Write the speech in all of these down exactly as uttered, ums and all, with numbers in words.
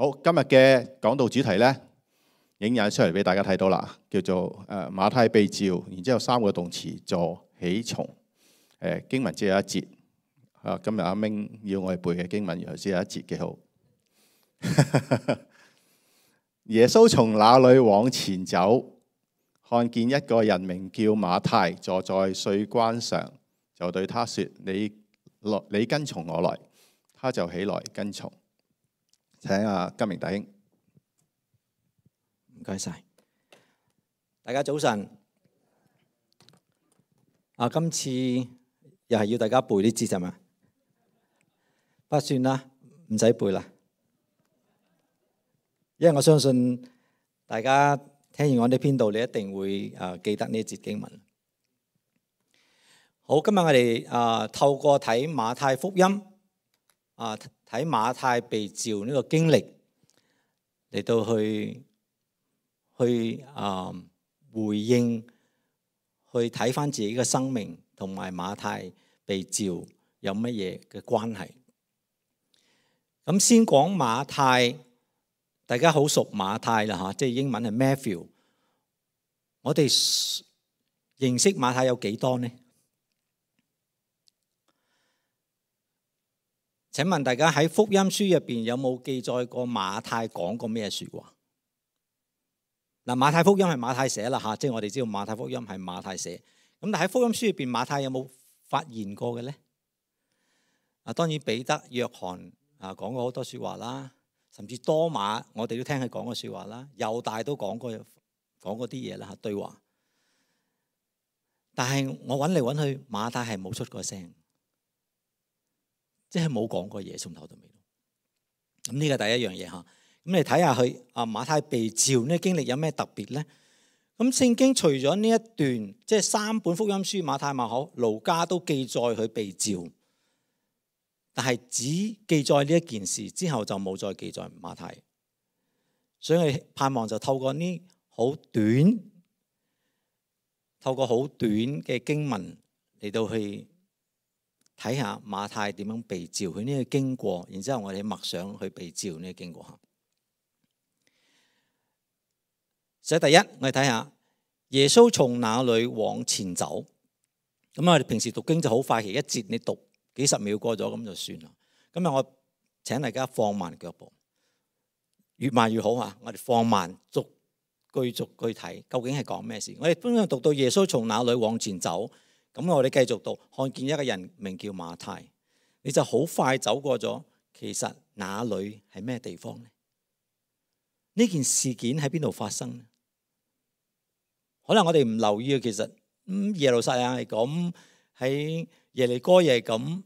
好，今日嘅講道主題咧，影印出嚟俾大家睇到啦，叫做誒馬太被召，然之後三個動詞坐起從。誒經文只有一節，啊今日阿明要我哋背嘅經文原來只有一節，幾好。耶穌從那裏往前走，看見一個人名叫馬太坐在稅關上，就對他說：你來，你跟從我來。他就起來跟從。請阿金明弟兄。唔該晒，大家早晨。啊，今次又係要大家背啲字係嘛？不算啦，唔使背啦。因為我相信大家聽完我呢篇道，你一定會啊記得呢一節經文。好，今日我哋啊透過睇馬太福音啊睇馬太被召呢個經歷嚟到去去啊回應，去睇翻自己嘅生命同埋馬太被召有乜嘢嘅關係。咁先講馬太。大家好熟馬太啦嚇，即係英文係 Matthew。我哋認識馬太有幾多呢？請問大家喺福音書入邊有冇記載過馬太講過咩説話？嗱，馬太福音係馬太寫啦嚇，即係我哋知道馬太福音係馬太寫。咁但喺福音書入邊，馬太有冇發言過嘅咧？啊，當然彼得、約翰啊講過好多説話啦。甚至多馬，我哋都聽佢講過説話啦。猶大都講過講過啲嘢啦嚇，對話。但係我揾嚟揾去，馬太係冇出過聲，即係冇講過嘢，從頭到尾。咁呢個第一樣嘢嚇。咁你睇下佢啊，馬太被召呢經歷有咩特別咧？咁聖經除咗呢一段，即係三本福音書馬太、馬可、路加都記載佢被召。但係只記載呢一件事之後就冇再記載馬太，所以我盼望就透過呢好短，透過好短嘅經文嚟到去睇下馬太點樣被召，佢呢個經過，然之後我哋默想去被召呢個經過下。所以第一，我哋睇下耶穌從哪裏往前走。咁我哋平時讀經就好快，其一節你讀幾十秒過咗咁就算啦。今日我請大家放慢腳步，越慢越好啊！我哋放慢，逐句逐句睇，究竟係講咩事？我哋通常讀到耶穌從哪裏往前走，咁我哋繼續讀，看見一個人名叫馬太，你就好快走過咗。其實哪裏係咩地方呢？呢件事件喺邊度發生呢？可能我哋唔留意啊。其實咁耶路撒冷係咁，喺耶利哥又係咁。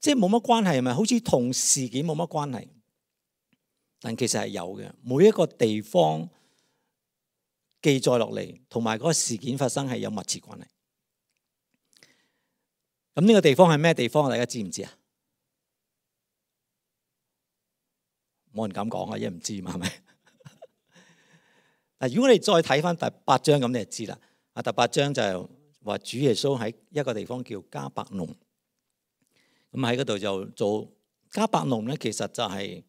即係冇乜關係，係咪？好似同事件冇乜關係，但其實係有嘅。每一個地方記載落嚟，同埋嗰個事件發生係有密切關係。咁呢個地方係咩地方？大家知唔知啊？冇人敢講啊，因為唔知嘛，係咪？嗱，如果你再睇翻第八章，咁你就知啦。啊，第八章就係話主耶穌喺一個地方叫迦百農。咁喺嗰度就做迦百農咧，其實就係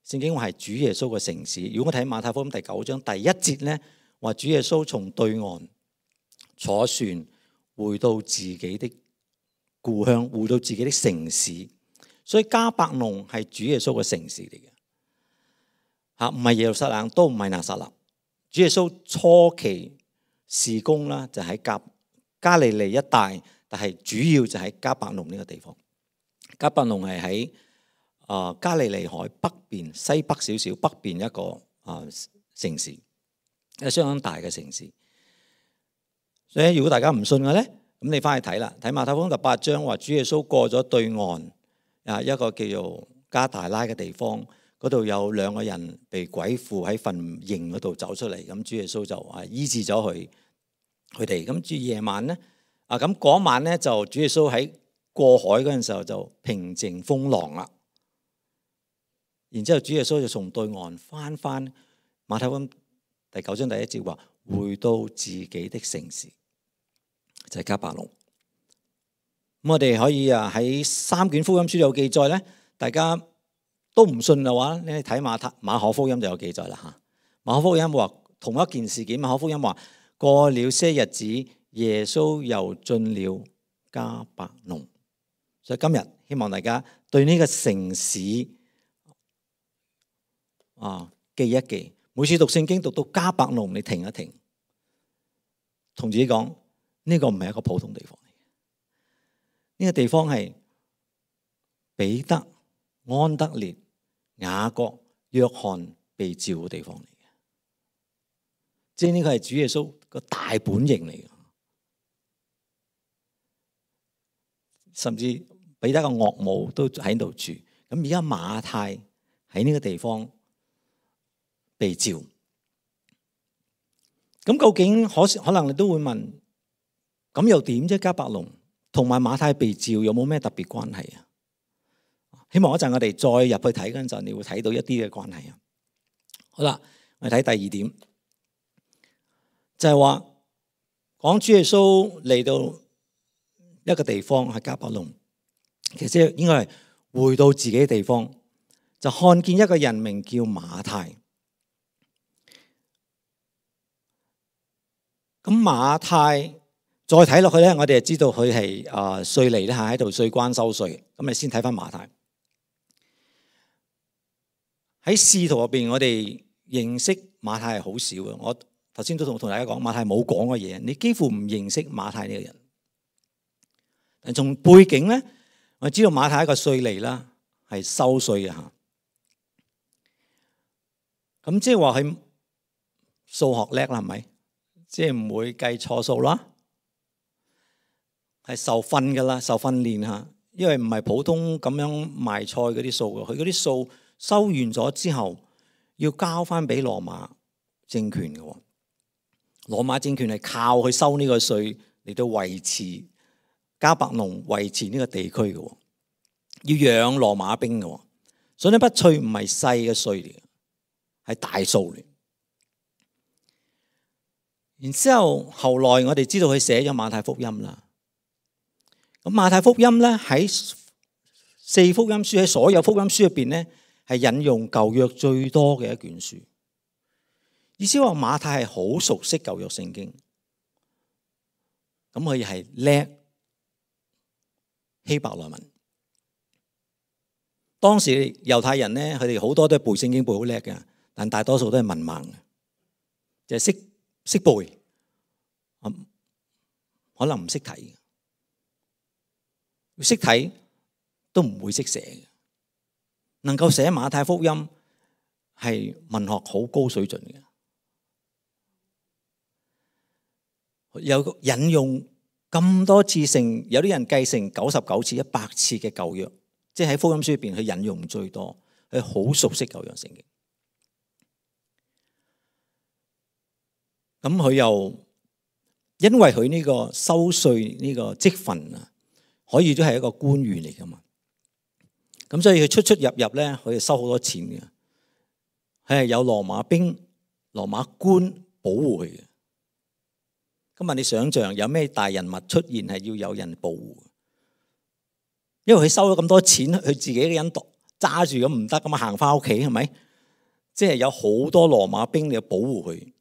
聖經話係主耶穌嘅城市。如果我睇馬太福音第九章第一節咧，話主耶穌從對岸坐船回到自己的故鄉，回到自己的城市。所以迦百農係主耶穌嘅城市嚟嘅，嚇唔係耶路撒冷，都唔係拿撒勒。主耶穌初期事工啦，就喺加加利利一帶，但係主要就喺迦百農呢個地方。迦百農係喺啊加利利海北邊西北少少北邊一個啊城市，係相當大嘅城市。所以如果大家唔信嘅咧，咁你翻去睇啦，睇馬太福音第八章話主耶穌過咗對岸啊一個叫做加大拉嘅地方，嗰度有兩個人被鬼附喺墳塋嗰度走出嚟，咁主耶穌就啊醫治咗佢佢哋。咁至夜晚咧啊咁嗰晚咧就主耶穌喺過海嗰陣時候就平靜風浪啦，然之後主耶穌就從對岸翻翻馬太福音第九章第一節話回到自己的城市，就係迦百農。咁我哋可以啊喺三卷福音書有記載咧，大家都唔信嘅話，你睇馬太馬可福音就有記載啦嚇。馬可福音話同一件事件，馬可福音話過了些日子，耶穌又進了迦百農。所以今日希望大家對呢個城市啊記一記。每次讀聖經讀到迦百農，你停一停，同自己講呢個唔係一個普通地方嚟嘅，呢個地方係彼得、安德烈、雅各、約翰被召嘅地方嚟嘅，即係呢個係主耶穌個大本營嚟嘅，甚至彼得個岳母都喺度住。咁而家馬太喺呢個地方被召，咁究竟可可能你都會問，咁又點啫？迦百農同埋馬太被召有冇咩特別關係啊？希望一陣我哋再入去睇嗰陣，你會睇到一啲嘅關係啊。好啦，我哋睇第二點，就係話講主耶穌嚟到一個地方係迦百農，其實應該係回到自己嘅地方，就看見一個人名叫馬太。咁馬太再睇落去咧，我哋就知道佢係啊稅吏咧嚇，喺度稅關收稅。咁你先睇翻馬太喺使徒入邊，我哋認識馬太係好少嘅。我頭先都同同大家講，馬太冇講嘅嘢，你幾乎唔認識馬太呢個人。但從背景咧，我知道馬太係一個稅吏啦，係收稅嘅嚇。咁即係話佢數學叻啦，係咪？即係唔會計錯數啦，係受訓噶啦，受訓練嚇。因為唔係普通咁樣賣菜嗰啲數嘅，佢嗰啲數收完咗之後，要交翻俾羅馬政權嘅。羅馬政權係靠佢收呢個稅嚟到維持迦百農，維持呢個地區嘅，要養羅馬兵嘅。所以呢筆稅唔係細嘅稅嚟嘅，係大數嚟。然之後，後來我哋知道佢寫咗馬太福音啦。咁馬太福音咧喺四福音書，喺所有福音書入邊咧，係引用舊約最多嘅一卷書。意思話馬太係好熟悉舊約聖經，咁佢係叻希伯來文。當時猶太人咧，佢哋好多都係背聖經背好叻嘅，但大多數都係文盲嘅，就係識。識背，可能唔識睇，識睇都唔會識寫。能夠寫馬太福音係文學好高水準嘅，有引用咁多次成，有啲人計成九十九次、一百次嘅舊約，即係喺福音書入邊佢引用最多，佢好熟悉舊約聖經。咁佢又因為佢呢個收稅呢個職份啊，可以都係一個官員嚟噶嘛。咁所以佢出出入入咧，佢係收好多錢嘅。佢係有羅馬兵、羅馬官保護佢嘅。今日你想象有咩大人物出現係要有人保護？因為佢收咗咁多錢，佢自己嘅人揸住咁唔得，咁啊行翻屋企係咪？即係有好多羅馬兵嚟保護佢。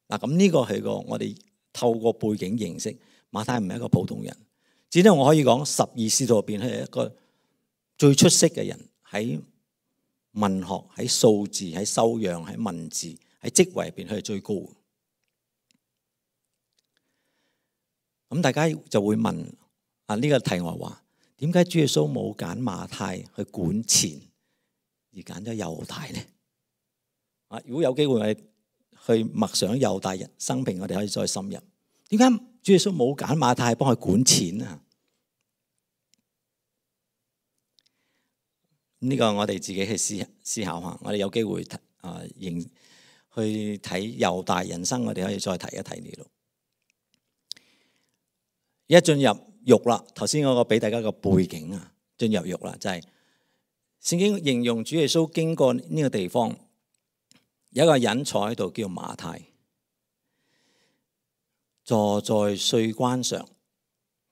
嗱，咁呢個係個我哋透過背景認識馬太唔係一個普通人，只係我可以講十二使徒入邊係一個最出色嘅人，喺文學、喺數字、喺修養、喺文字、喺職位入邊佢係最高。咁大家就會問啊，呢個題外話，點解主耶穌冇揀馬太去管錢，而揀咗猶大咧？啊，如果有機會我哋去默想猶大人生平，我哋可以再深入。點解主耶穌冇揀馬太幫佢管錢啊？呢個我哋自己去思思考下。我哋有機會啊，認去睇猶大人生，我哋可以再提一提呢度。一進入獄啦，頭先嗰個俾大家個背景啊，進入獄啦，就係聖經形容主耶穌經過呢個地方。有一個人坐喺度叫馬太，坐在稅關上，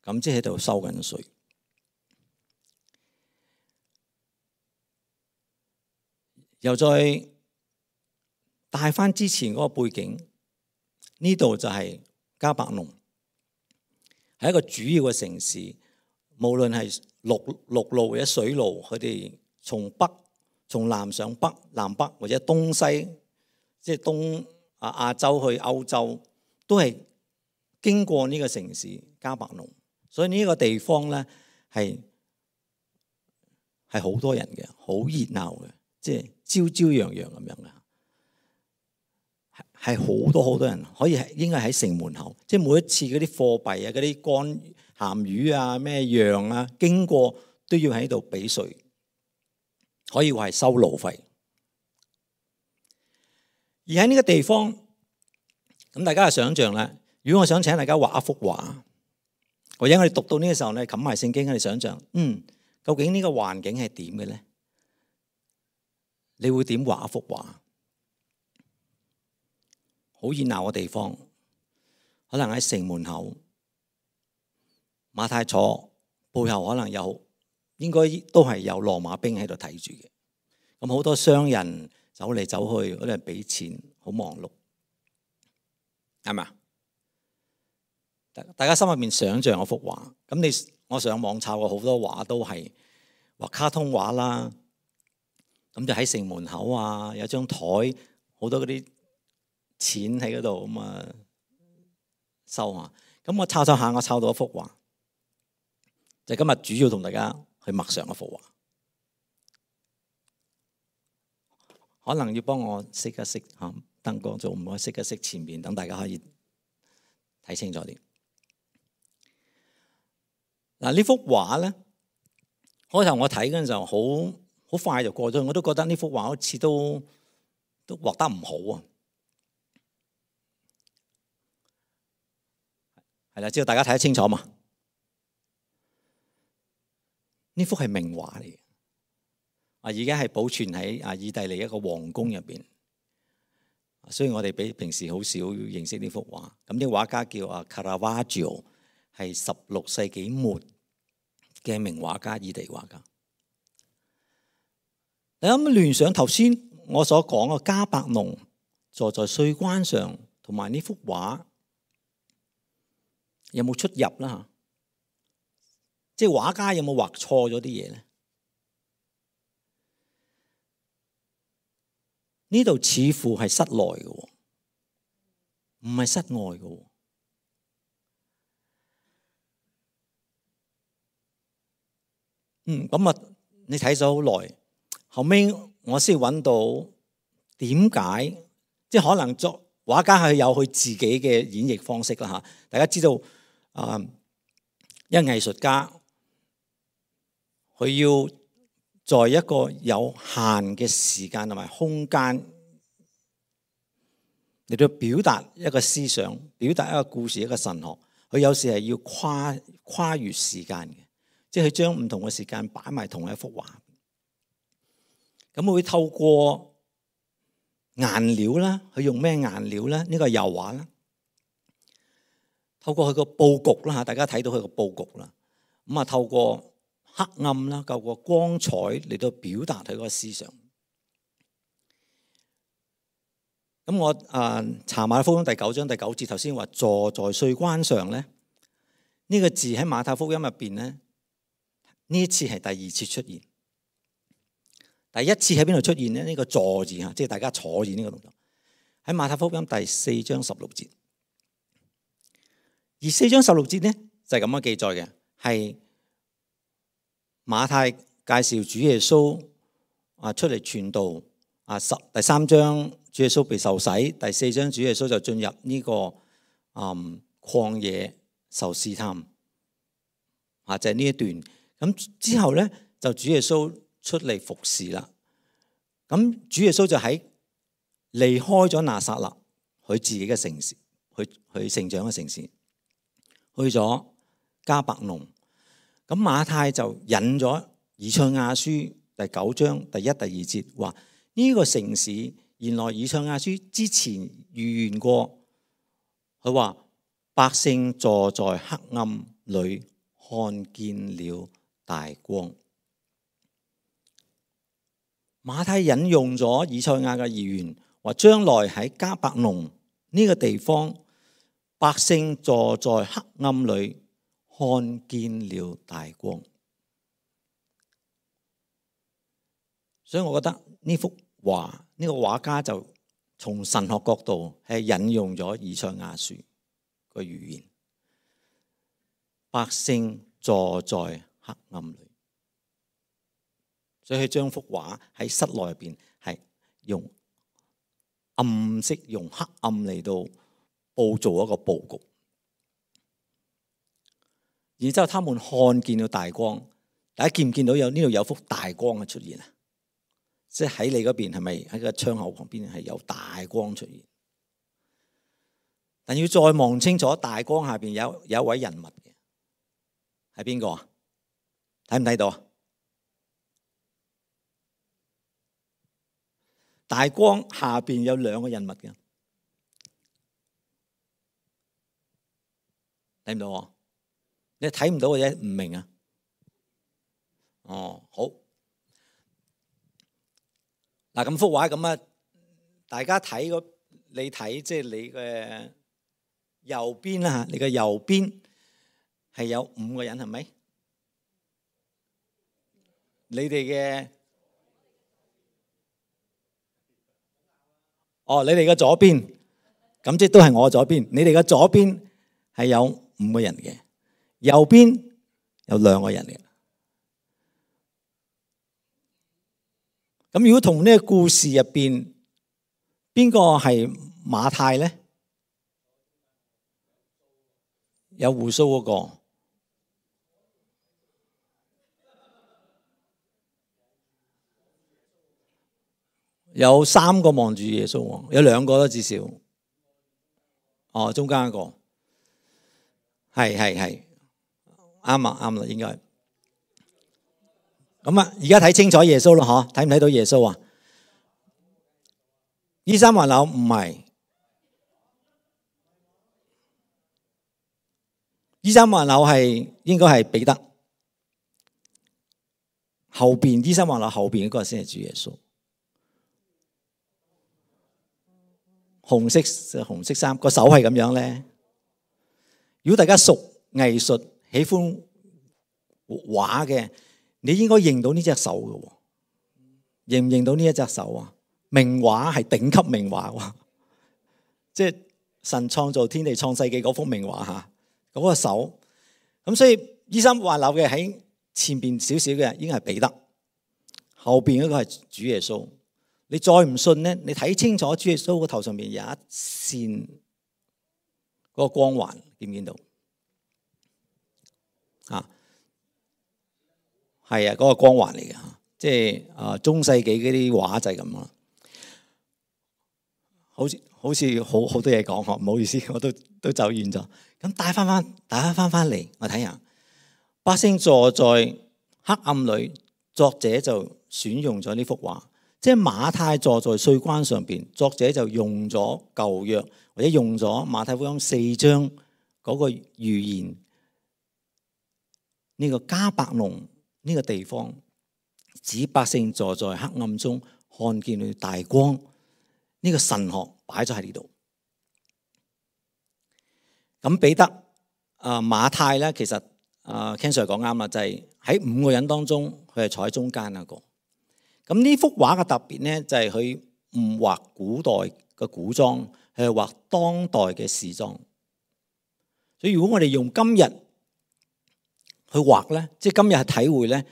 咁即係喺度收緊稅。又再帶翻之前嗰個背景，呢度就係迦百農，係一個主要嘅城市。無論係陸陸路或者水路，佢哋從北、從南上北、南北或者東西，即係東啊亞洲去歐洲，都係經過呢個城市迦百農。所以呢個地方咧係係好多人嘅，好熱鬧嘅，即係朝朝陽陽咁樣嘅，係好多好多人，可以係應該喺城門口，即係每一次嗰啲貨幣啊、嗰啲乾鹹魚啊、咩羊啊經過都要喺度俾稅，可以話係收路費。而喺呢個地方，咁大家就想象啦。如果我想請大家畫一幅畫，或者我哋讀到呢個時候咧，冚埋聖經，我哋想象，嗯，究竟呢個環境係點嘅咧？你會點畫一幅畫？好熱鬧嘅地方，可能喺城門口，馬太坐背後可能有，應該都係有羅馬兵喺度睇住嘅。咁好多商人走嚟走去，嗰啲人俾錢，好忙碌，係咪啊？大家心入面想象嗰幅畫，咁你我上網抄過好多畫，都係畫卡通畫啦。咁就喺城門口啊，有張台，好多嗰啲錢喺嗰度咁啊收下。咁我抄抄下，我抄到一幅畫，就今日主要同大家去默想一幅畫。可能要幫我熄一熄嚇燈光，做唔可以熄一熄前面，等大家可以睇清楚啲。嗱，呢幅畫咧，開頭我睇嗰陣時候，好好快就過咗，我都覺得呢幅畫好似都都畫得唔好啊。係啦，知道大家睇得清楚嘛？呢幅係名畫嚟嘅，啊，而家係保存喺啊意大利一個皇宮入邊。雖然我哋比平時好少認識呢幅畫，咁呢個畫家叫啊卡拉瓦喬，係十六世紀末嘅名畫家，意大利畫家。你有冇聯想頭先我所講嘅迦百農坐在稅關上，同埋呢幅畫有冇出入啦？嚇，即係畫家有冇畫錯咗啲嘢咧？呢度似乎係室內嘅，唔係室外嘅。嗯，咁啊，你睇咗好耐，後尾我先揾到點解，即係可能作畫家係有佢自己嘅演繹方式啦嚇。大家知道啊，因為藝術家佢要在一個有限嘅時間同埋空間嚟到表達一個思想，表達一個故事，一個神學，佢有時係要跨跨越時間嘅，即係佢將唔同嘅時間擺埋同一幅畫。咁佢會透過顏料啦，佢用咩顏料咧？呢個係油畫啦。透過佢個佈局啦嚇，大家睇到佢個佈局啦。咁啊，透過黑暗啦，透過光彩嚟到表達佢嗰個思想。咁我啊查馬太福音第九章第九節，頭先話坐在稅關上咧，呢個字喺馬太福音入邊咧，呢一次係第二次出現。第一次喺邊度出現咧？呢個坐字嚇，即係大家坐住呢個動作，喺馬太福音第四章十六節。而四章十六節咧就係咁樣記載嘅，係馬太介紹主耶穌啊出嚟傳道啊，十第三章主耶穌被受洗，第四章主耶穌就進入呢個嗯曠野受試探啊，就係呢一段。咁之後咧就主耶穌出嚟服侍啦。咁主耶穌就喺離開咗拿撒勒佢自己嘅城市，去去成長嘅城市，去咗迦百農。咁馬太就引咗以賽亞書第九章第一、第二節，話呢個城市原來以賽亞書之前預言過，佢話百姓坐在黑暗裏，看見了大光。馬太引用咗以賽亞嘅預言，話將來喺迦百農呢個地方，百姓坐在黑暗裏，看見了大光。所以我覺得呢幅畫，呢個畫家就從神學角度係引用咗以賽亞書個預言，百姓坐在黑暗裏。所以佢將幅畫喺室內入邊係用暗色、用黑暗嚟到佈造一個佈局。然之後，他們看見了大光。大家見唔見到有呢度有幅大光嘅出現啊？即係喺你嗰邊係咪喺個窗口旁邊係有大光出現？但要再望清楚，大光下邊有有一位人物嘅，係邊個啊？睇唔睇到啊？大光下邊有兩個人物嘅，睇唔到啊？你睇唔到或者唔明啊？哦，好。嗱，咁幅畫咁啊，大家睇個你睇即係你嘅右邊啦嚇，你嘅右邊係有五個人係咪？你哋嘅哦，你哋嘅左邊，咁即係都係我左邊。你哋嘅左邊係有五個人嘅，右邊有兩個人嘅。咁如果同呢個故事入邊，邊個係馬太咧？有鬍鬚嗰個，有三個望住耶穌，有兩個咯至少。哦，中間一個，係係係，啱啊啱啦，應該。咁啊，而家睇清楚耶穌咯，嗬？睇唔睇到耶穌啊？依三環樓唔係，依三環樓係應該係彼得，後邊依三環樓後邊嗰個先係主耶穌。紅色紅色衫，個手係咁樣咧。如果大家熟藝術、喜歡畫嘅，你應該認到呢隻手嘅，認唔認到呢一隻手啊？名畫係頂級名畫喎，即係神創造天地創世紀嗰幅名畫嚇，嗰個手。咁所以依三環樓嘅喺前邊少少嘅，應該係彼得，後邊嗰個係主耶穌。你再唔信咧，你睇清楚主耶穌個頭上面有一線嗰個光環，見唔見到？啊！係啊，嗰個光環嚟嘅，即係啊中世紀嗰啲畫就係咁咯。好似好似好好多嘢講嗬，唔好意思，我都都走遠咗。咁帶翻翻，帶翻翻翻嚟，我睇下。百姓坐在黑暗裏，作者就選用咗呢幅畫，即係馬太坐在稅關上邊，作者就用咗舊約或者用咗馬太福音四章嗰個預言，呢個迦百農呢個地方，指百姓坐在黑暗中看見了大光，呢個神學擺咗喺呢度。咁彼得啊馬太咧，其實啊 Ken Sir 講啱啦，就係喺五個人當中，佢係坐喺中間一個。咁呢幅畫嘅特別咧，就係佢唔畫古代嘅古裝，係畫當代嘅時裝。所以如果我哋用今日去畫咧，即係今日係體會咧，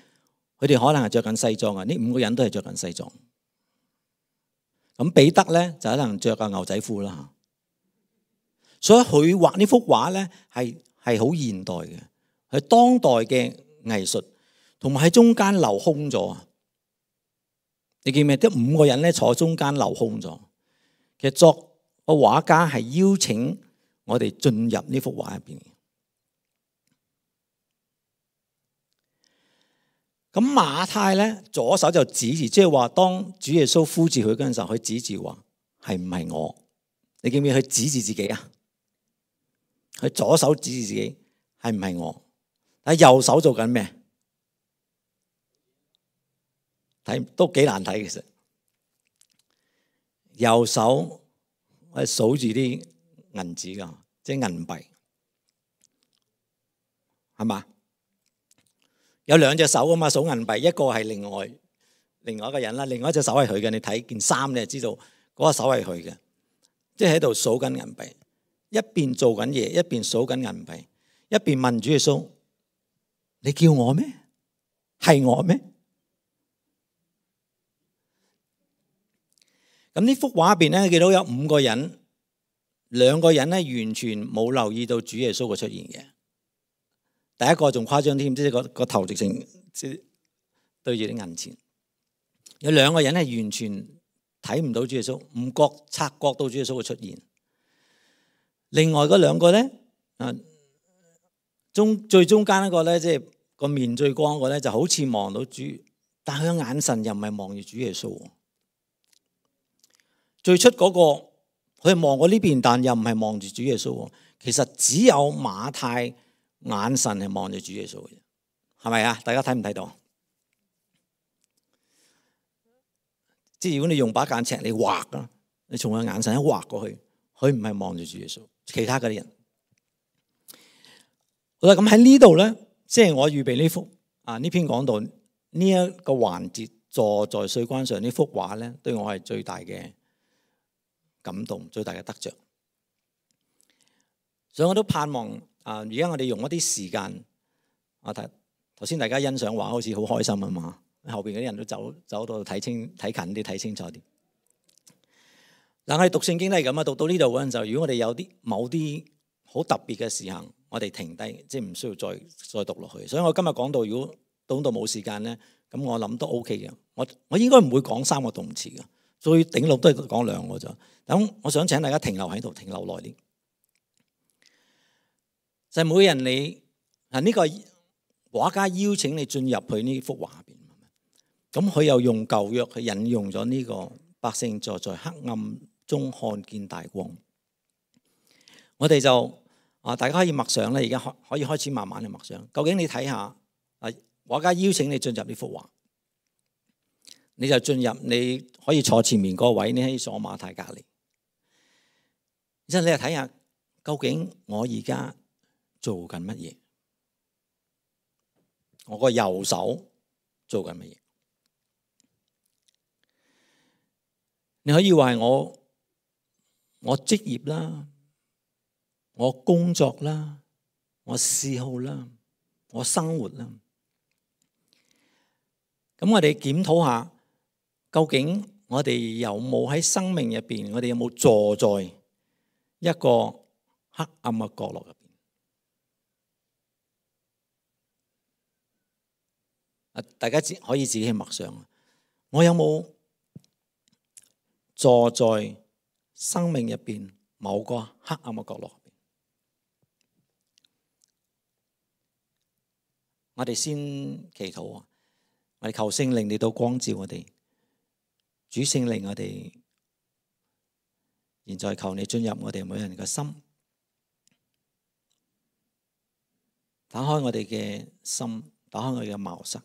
佢哋可能係着緊西裝啊！呢五個人都係着緊西裝。咁彼得咧就可能着個牛仔褲啦。所以佢畫呢幅畫咧係係好現代嘅，係當代嘅藝術，同埋喺中間留空咗。你記唔記得？啲五個人咧坐中間留空咗。其實作個畫家係邀請我哋進入呢幅畫入邊。咁馬太咧左手就指住，即係話當主耶穌呼召佢嗰陣時候，佢指住話係唔係我？你記唔記得佢指住自己啊？佢左手指住自己係唔係我？但係右手做緊咩？睇都幾難睇，其實右手係數住啲銀紙㗎，即係銀幣，係嘛？有兩隻手啊嘛，數銀幣，一個係另外另外一個人啦，另外一隻手係佢嘅。你睇件衫，你就知道嗰個手係佢嘅，即係喺度數緊銀幣，一邊做緊嘢，一邊數緊銀幣，一邊問主耶穌：你叫我咩？係我咩？咁呢幅畫入邊咧，見到有五個人，兩個人咧完全冇留意到主耶穌嘅出現嘅。第一個仲誇張添，即係個個頭直情即係對住啲銀錢。有兩個人係完全睇唔到主耶穌，唔覺察覺到主耶穌嘅出現。另外嗰兩個咧，啊中最中間一個咧，即係個面最光嗰個咧，就好似望到主，但係佢嘅眼神又唔係望住主耶穌。最出嗰個佢係望過呢邊，但又唔係望住主耶穌。其實只有馬太眼神係望住主耶穌嘅，係咪啊？大家睇唔睇到？即係如果你用把間尺你畫啊，你從佢眼神一畫過去，佢唔係望住主耶穌，其他嗰啲人。好啦，咁喺呢度咧，即係我預備呢幅啊呢篇講道呢一個環節，坐在稅關上呢幅畫咧，對我係最大嘅感動，最大嘅得着。所以我都盼望啊，而家我哋用一啲時間，我睇頭先大家欣賞畫好似好開心啊嘛，後邊嗰啲人都走走到睇清睇近啲睇清楚啲。嗱，我哋讀聖經都係咁啊，讀到呢度嗰陣時候，如果我哋有啲某啲好特別嘅事行，我哋停低，即係唔需要再再讀落去。所以我今日講到，如果到到冇時間咧，咁我諗都 OK 嘅。我我應該唔會講三個動詞嘅，最頂籠都係講兩個咋。咁我想請大家停留喺度，停留耐啲。就係每個人你啊呢個畫家邀請你進入去呢幅畫入邊，咁佢又用舊約去引用咗呢個百姓坐在黑暗中看見大光。我哋就啊，大家可以默想咧，而家可可以開始慢慢去默想。究竟你睇下啊，畫家邀請你進入呢幅畫，你就進入，你可以坐前面嗰位，你可以坐馬太隔離。然之後你就睇下，究竟我而家做緊乜嘢？我個右手做緊乜嘢？你可以話係我我職業啦，我工作啦，我嗜好啦，我生活啦。咁我哋檢討下，究竟我哋有冇喺生命入邊，我哋有冇坐在一個黑暗嘅角落入邊？啊，大家可以自己去默想，我有冇坐在生命入邊某個黑暗嘅角落入邊？我哋先祈禱啊！我哋求聖靈嚟到光照我哋，主聖靈，我哋現在求你進入我哋每人嘅心，打開我哋嘅心，打開我哋嘅茅塞，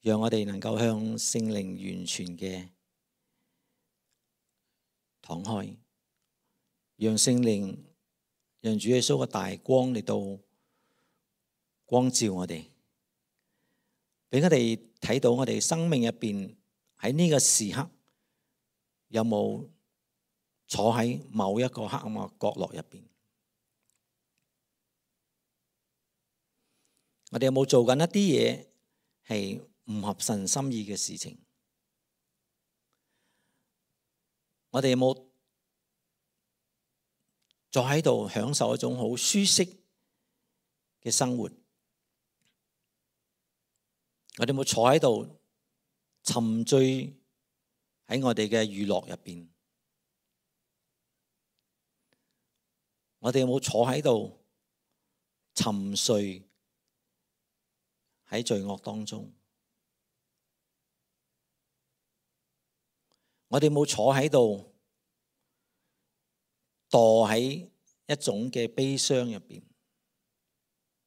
讓我哋能夠向聖靈完全嘅敞開，讓聖靈，讓主耶穌嘅大光嚟到光照我哋，俾我哋睇到我哋生命入邊喺呢個時刻有冇坐喺某一個黑暗嘅角落入邊？我哋有冇做緊一啲嘢係唔合神心意嘅事情？我哋有冇坐喺度享受一種好舒適嘅生活？我哋有冇坐喺度沉醉喺我哋嘅娛樂入邊？我哋有冇坐喺度沉睡喺罪惡當中？我哋有冇坐喺度墮喺一種嘅悲傷入邊，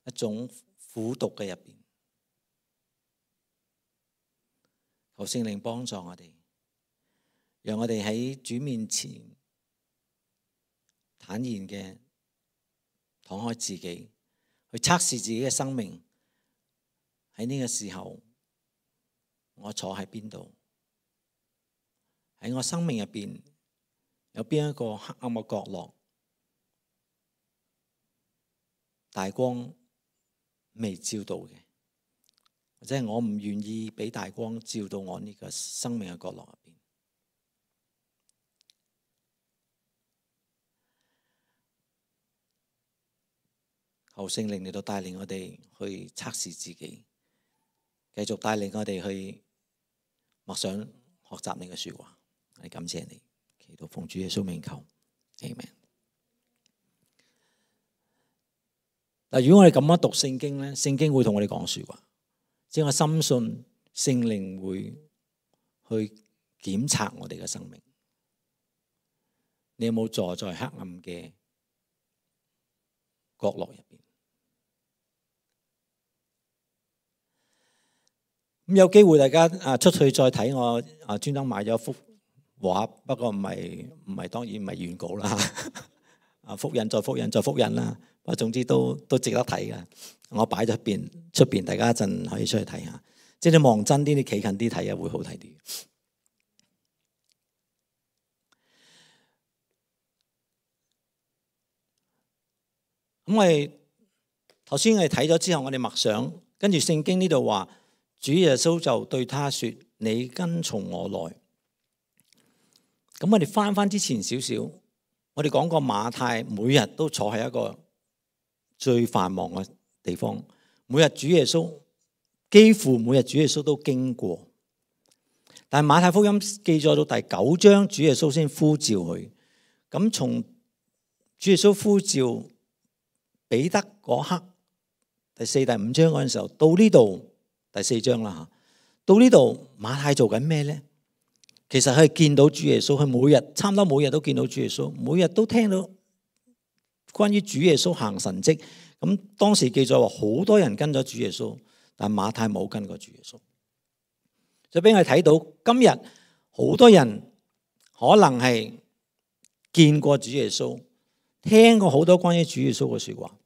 一種苦毒嘅入邊？求聖靈幫助我哋，讓我哋喺主面前坦然嘅敞開自己，去測試自己嘅生命。喺呢個時候，我坐喺邊度？喺我生命入邊有邊一個黑暗嘅角落，大光未照到嘅，或者係我唔願意俾大光照到我呢個生命嘅角落入邊。求聖靈嚟到帶領我哋去測試自己，繼續帶領我哋去默想學習你嘅說話。我哋感謝你，祈禱奉主耶穌名求，阿們。嗱，如果我哋咁樣讀聖經咧，聖經會同我哋講說話，即係我深信聖靈會去檢查我哋嘅生命。你有冇坐在黑暗嘅角落入邊？咁有機會大家啊出去再睇，我啊專登買咗幅畫，不過唔係唔係當然唔係原稿啦，啊複印再複印再複印啦，不過總之都都值得睇嘅。我擺咗邊出邊，大家一陣可以出去睇下。即係你望真啲，你企近啲睇啊，會好睇啲。咁我哋頭先我哋睇咗之後，我哋默想，跟住聖經呢度話。主耶穌就對他說：你跟從我來。咁我哋翻翻之前少少，我哋講過馬太每日都坐喺一個最繁忙嘅地方，每日主耶穌幾乎每日主耶穌都經過。但係馬太福音記載到第九章，主耶穌先呼召佢。咁從主耶穌呼召彼得嗰刻，第四、第五章嗰陣時候，到呢度。第四章啦吓，到呢度馬太做緊咩咧？其實佢係見到主耶穌，佢每日差唔多每日都見到主耶穌，每日都聽到關於主耶穌行神蹟。咁當時記載話好多人跟咗主耶穌，但馬太冇跟過主耶穌。就俾我哋睇到今日好多人可能係見過主耶穌，聽過好多關於主耶穌嘅說話，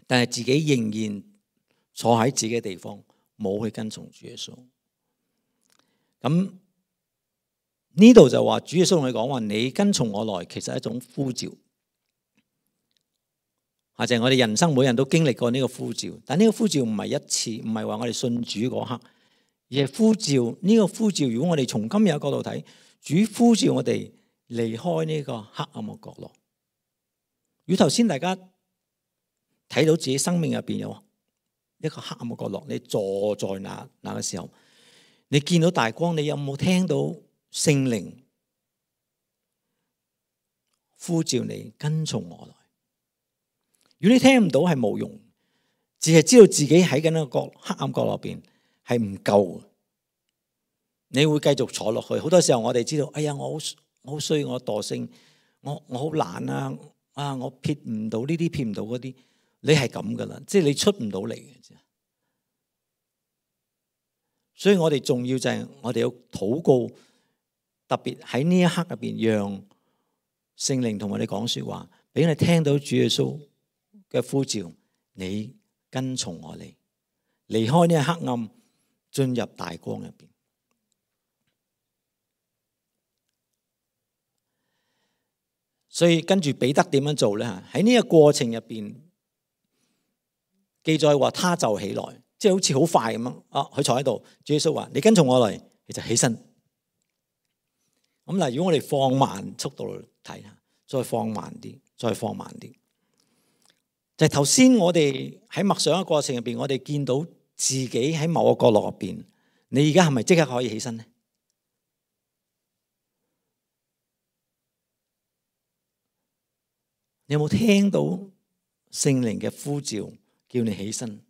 但係自己仍然坐喺自己嘅地方。冇去跟從主耶穌，咁呢度就話主耶穌同佢講話：你跟從我來，其實係一種呼召。或者我哋人生每人都經歷過呢個呼召，但呢個呼召唔係一次，唔係話我哋信主嗰刻，而係呼召。呢個呼召，如果我哋從今日嘅角度睇，主呼召我哋離開呢個黑暗嘅角落。如頭先大家睇到自己生命入邊有一個黑暗嘅角落，你坐在那那嘅時候，你見到大光，你有冇聽到聖靈呼召你跟從我來？如果你聽唔到，係冇用，只係知道自己喺緊一個角黑暗角落邊係唔夠，你會繼續坐落去。好多時候我哋知道，哎呀，我好我好衰，我惰性，我我好懶啊，啊，我撇唔到呢啲，撇唔到嗰啲。你係咁噶啦，即係你出唔到嚟嘅。所以我哋重要就係我哋要禱告，特別喺呢一刻入邊，讓聖靈同我哋講說話，俾你聽到主耶穌嘅呼召，你跟從我嚟，離開呢個黑暗，進入大光入邊。所以跟住彼得點樣做咧？喺呢個過程入邊。記載話，他就起來，即係好似好快咁樣。啊，佢坐喺度，主耶穌話：你跟從我嚟，你就起身。咁嗱，如果我哋放慢速度睇下，再放慢啲，再放慢啲，就係頭先我哋喺默想嘅過程入邊，我哋見到自己喺某個角落入邊，你而家係咪即刻可以起身呢？你有冇聽到聖靈嘅呼召？叫你起身，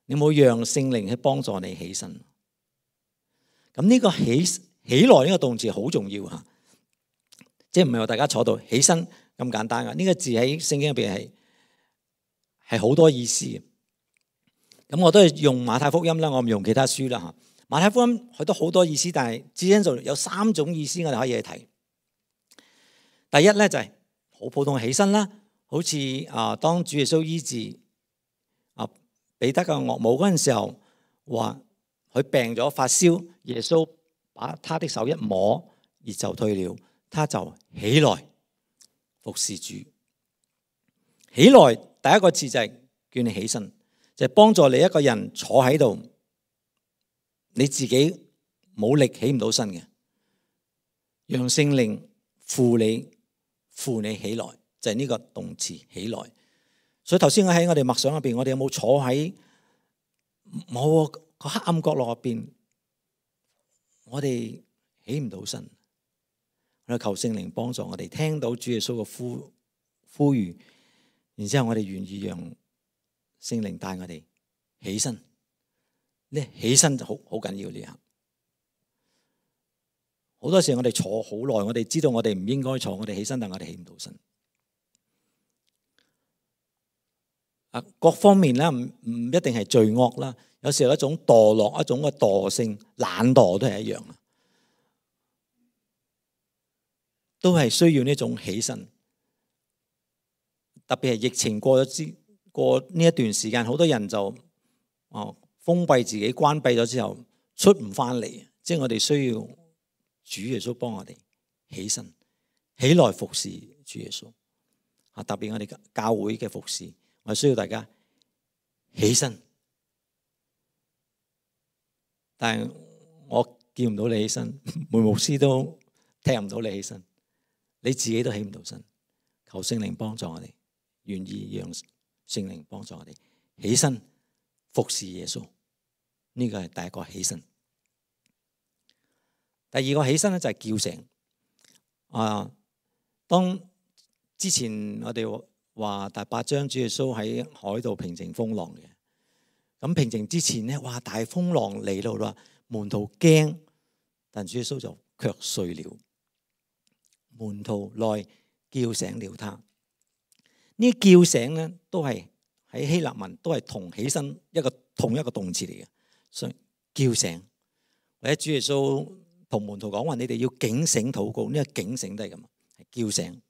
你冇讓聖靈去幫助你起身。咁呢個起起來呢個動詞好重要吓，即係唔係話大家坐到起身咁簡單噶。呢個字喺聖經入邊係係好多意思嘅。咁我都係用馬太福音啦，我唔用其他書啦吓。馬太福音佢都好多意思，但係只因就有三種意思我哋可以去睇。第一咧就係好普通嘅起身啦，好似啊當主耶穌醫治啊彼得嘅岳母嗰陣時候，話佢病咗發燒，耶穌把他的手一摸，熱就退了，他就起來服侍主。起來第一個字就係叫你起身，就係幫助你一個人坐喺度，你自己冇力起唔到身嘅，讓聖靈扶你扶你起來，就係呢個動詞起來。所以頭先我喺我哋默想入邊，我哋有冇坐喺某個黑暗角落入邊？我哋起唔到身，我哋求聖靈幫助我哋，聽到主耶穌嘅呼呼籲，然之後我哋願意讓聖靈帶我哋起身。呢起身就好好緊要呢下。好多時我哋坐好耐，我哋知道我哋唔應該坐，我哋起身，但我哋起唔到身。啊，各方面咧唔唔一定係罪惡啦，有時候一種墮落，一種嘅惰性、懶惰都係一樣啊，都係需要呢種起身。特別係疫情過咗之過呢一段時間，好多人就哦封閉自己、關閉咗之後出唔翻嚟，即係我哋需要主耶穌幫我哋起身，起來服侍主耶穌。啊，特別我哋教會嘅服侍，我需要大家起身。但係我見唔到你起身，梅牧師都踢唔到你起身，你自己都起唔到身。求聖靈幫助我哋，願意讓聖靈幫助我哋起身服侍耶穌。呢個係第一個起身。第二個起身咧就係叫醒。啊，當之前我哋話第八章主耶穌喺海度平靜風浪嘅，咁平靜之前咧，哇大風浪嚟到啦，門徒驚，但主耶穌就卻睡了。門徒來叫醒了他。呢叫醒咧都係喺希臘文都係同起身一個同一個動詞嚟嘅，所以叫醒或者主耶穌同門徒講話，你哋要警醒禱告，呢個警醒都係咁，係叫醒。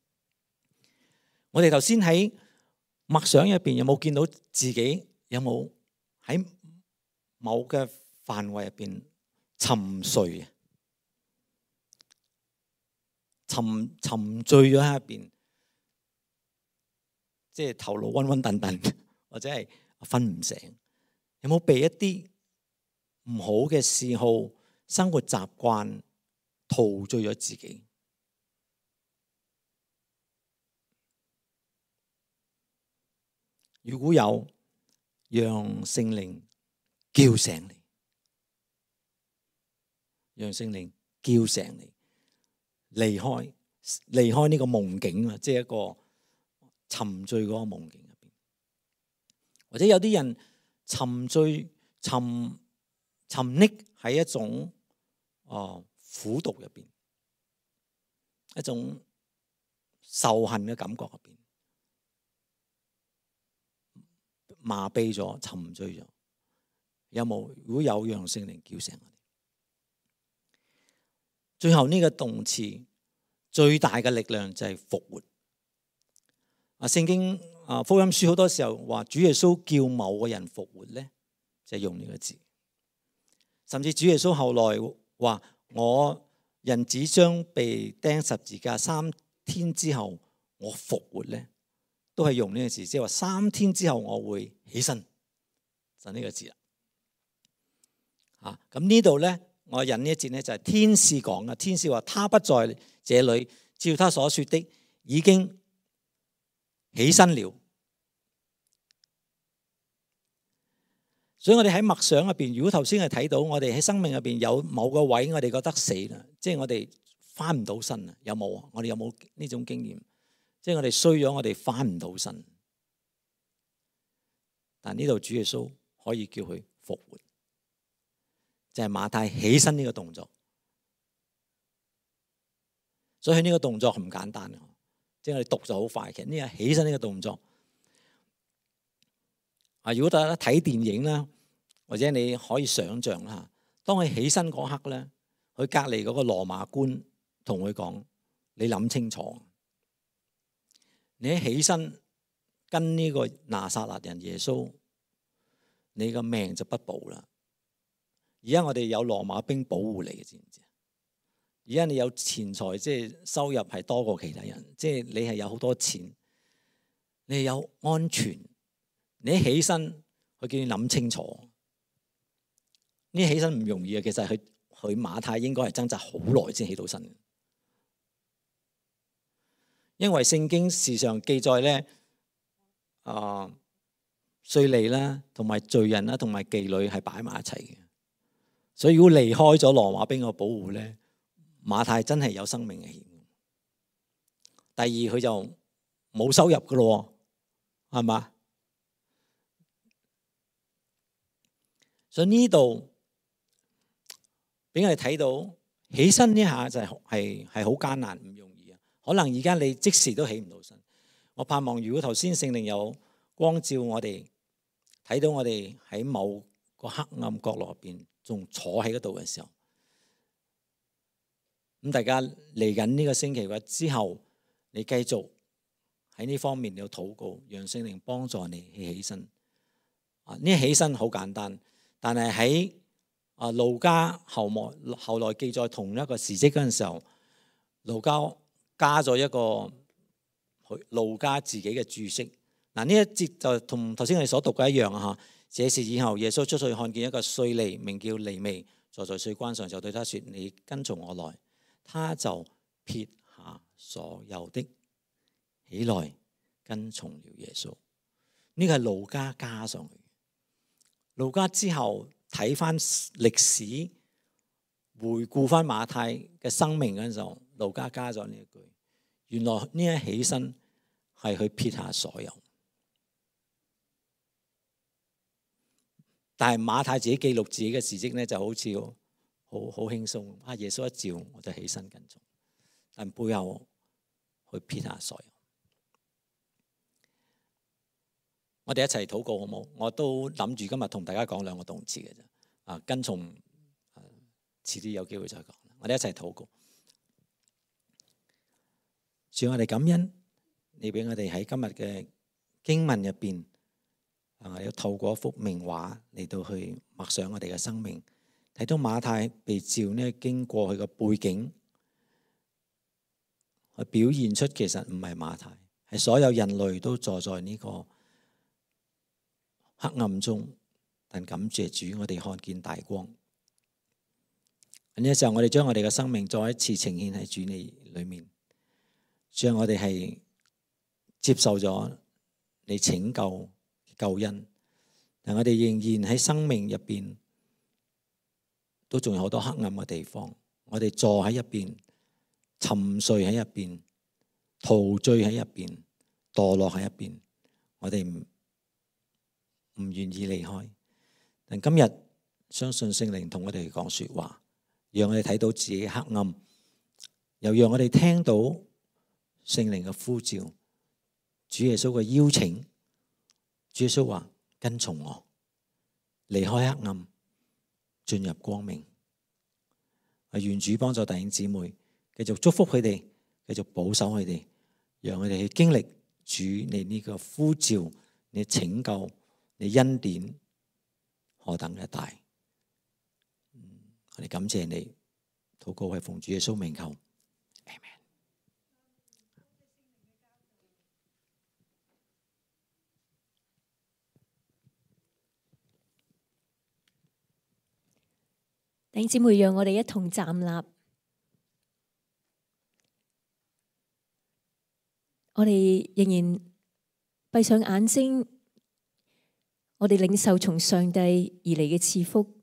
我哋頭先喺默想入邊有冇見到自己有冇喺某嘅範圍入邊沉睡啊？沉沉醉咗喺入邊，即係頭腦昏昏沌沌，或者係瞓唔醒。有冇被一啲唔好嘅嗜好、生活習慣陶醉咗自己？如果有，讓聖靈叫醒你，讓聖靈叫醒你，離開離開呢個夢境啊，即係一個沉醉嗰個夢境入邊。或者有啲人沉醉、沉沉溺喺一種哦苦毒入邊，一種仇恨嘅感覺入邊，麻痹咗、沉醉咗。有冇？如果有，讓聖靈叫醒我哋。最後呢個動詞最大嘅力量就係復活。啊，聖經啊福音書好多時候話主耶穌叫某個人復活咧，就係用呢個字。甚至主耶穌後來話：我人子將被釘十字架，三天之後我復活咧，都係用呢個字，即係話三天之後我會起身，就呢個字啦。啊，咁呢度咧，我引呢一節咧就係天使講嘅。天使話：他不在這裏，照他所說的，已經起身了。所以我哋喺默想入邊，如果頭先係睇到我哋喺生命入邊有某個位，我哋覺得死啦，即係我哋翻唔到身啊？有冇啊？我哋有冇呢種經驗？即係我哋衰咗，我哋翻唔到身。但呢度主耶穌可以叫佢復活，就係馬太起身呢個動作。所以呢個動作唔簡單，即係我哋讀就好快。其實呢個起身呢個動作啊，如果大家睇電影啦，或者你可以想象啦，當佢起身嗰刻咧，佢隔離嗰個羅馬官同佢講：你諗清楚，你一起身跟呢個拿撒勒人耶穌，你個命就不保啦。而家我哋有羅馬兵保護你嘅，知唔知？而家你有錢財，即係收入係多過其他人，即係你係有好多錢，你係有安全。你一起身，佢叫你諗清楚。呢起身唔容易啊！其實佢佢馬太應該係掙扎好耐先起到身，因為聖經時常記載咧，啊稅吏啦，同埋罪人啦，同埋妓女係擺埋一齊嘅。所以如果離開咗羅馬兵嘅保護咧，馬太真係有生命危險。第二，佢就冇收入噶咯，係嘛？所以呢度俾我哋睇到起身呢下就係係係好艱難，唔容易啊！可能而家你即時都起唔到身。我盼望如果頭先聖靈有光照我哋，睇到我哋喺某個黑暗角落入邊仲坐喺嗰度嘅時候，咁大家嚟緊呢個星期或之後，你繼續喺呢方面要禱告，讓聖靈幫助你起起身。啊，呢起身好簡單，但係喺啊路加後末後來記載同一個時跡嗰陣時候，路加加咗一個路加自己嘅注釋。嗱，呢一節就同頭先我哋所讀嘅一樣啊！嚇，這事以後，耶穌出去看見一個稅吏，名叫利未，坐在稅關上，就對他說：你跟從我來。他就撇下所有的，起來跟從了耶穌。呢個係路加加上去。路加之後睇翻歷史，回顧翻馬太嘅生命嗰陣時候，路加加咗呢一句。原來呢一起身係去撇下所有。但係馬太自己記錄自己嘅事蹟咧，就好似好好輕鬆。啊，耶穌一召我就起身跟從，但背後去撇下所有。我哋一齊禱告好冇？我都諗住今日同大家講兩個動詞嘅啫。啊，跟從，啊，遲啲有機會再講。我哋一齊禱告。主，我哋感恩你俾我哋喺今日嘅經文入邊。啊！要透過一幅名畫嚟到去默想我哋嘅生命，睇到馬太被召呢，經過佢嘅背景，去表現出其實唔係馬太，係所有人類都坐在呢個黑暗中，但感謝主，我哋看見大光。呢個時候，我哋將我哋嘅生命再一次呈現喺主你裏面，將我哋係接受咗你拯救救恩，但我哋仍然喺生命入邊都仲有好多黑暗嘅地方。我哋坐喺入邊，沉睡喺入邊，陶醉喺入邊，墮落喺入邊。我哋唔唔願意離開。但今日相信聖靈同我哋講說話，讓我哋睇到自己黑暗，又讓我哋聽到聖靈嘅呼召，主耶穌嘅邀請。主耶穌話：跟從我，離開黑暗，進入光明。願主幫助弟兄姊妹，繼續祝福佢哋，繼續保守佢哋，讓佢哋去經歷主你呢個呼召，你拯救，你恩典何等嘅大。我哋感謝你，禱告係奉主耶穌名求，阿們。弟兄姊妹，讓我哋一同站立。我哋仍然閉上眼睛，我哋領受從上帝而嚟嘅賜福。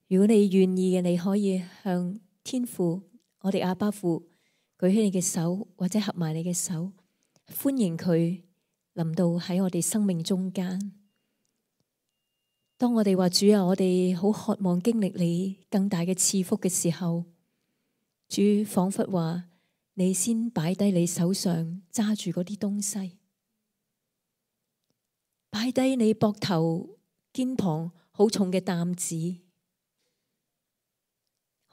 如果你願意嘅，你可以向天父，我哋阿爸父舉起你嘅手，或者合埋你嘅手，歡迎佢臨到喺我哋生命中間。當我哋話主啊，我哋好渴望經歷你更大嘅賜福嘅時候，主仿佛話你先擺低你手上揸住嗰啲東西，擺低你膊頭肩膀好重嘅擔子，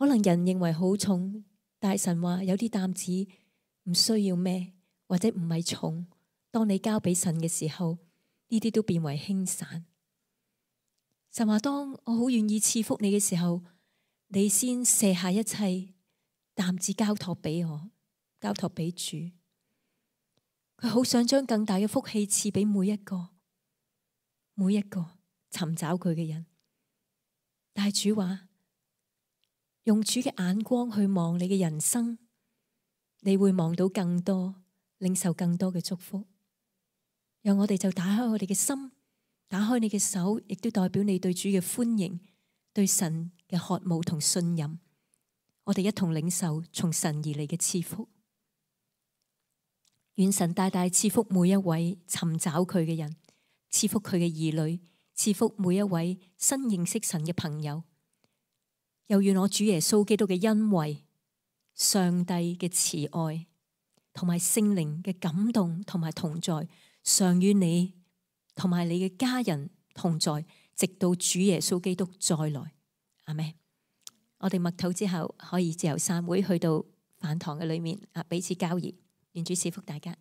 可能人認為好重，但係神話有啲擔子唔需要孭，或者唔係重。當你交俾神嘅時候，呢啲都變為輕散。神話當我好願意賜福你嘅時候，你先卸下一切擔子交託俾我，交託俾主。佢好想將更大嘅福氣賜俾每一個，每一個尋找佢嘅人。但係主話，用主嘅眼光去望你嘅人生，你會望到更多，領受更多嘅祝福。讓我哋就打開我哋嘅心，打開你嘅手，亦都代表你對主嘅歡迎，對神嘅渴慕同信任。我哋一同領受從神而嚟嘅賜福。願神大大賜福每一位尋找佢嘅人，賜福佢嘅兒女，賜福每一位新認識神嘅朋友。又願我主耶穌基督嘅恩惠、上帝嘅慈愛同埋聖靈嘅感動同埋同在，常與你同埋你嘅家人同在，直到主耶穌基督再來。阿們。我哋默禱之後，可以自由散會去到飯堂嘅裏面啊，彼此交誼。願主賜福大家。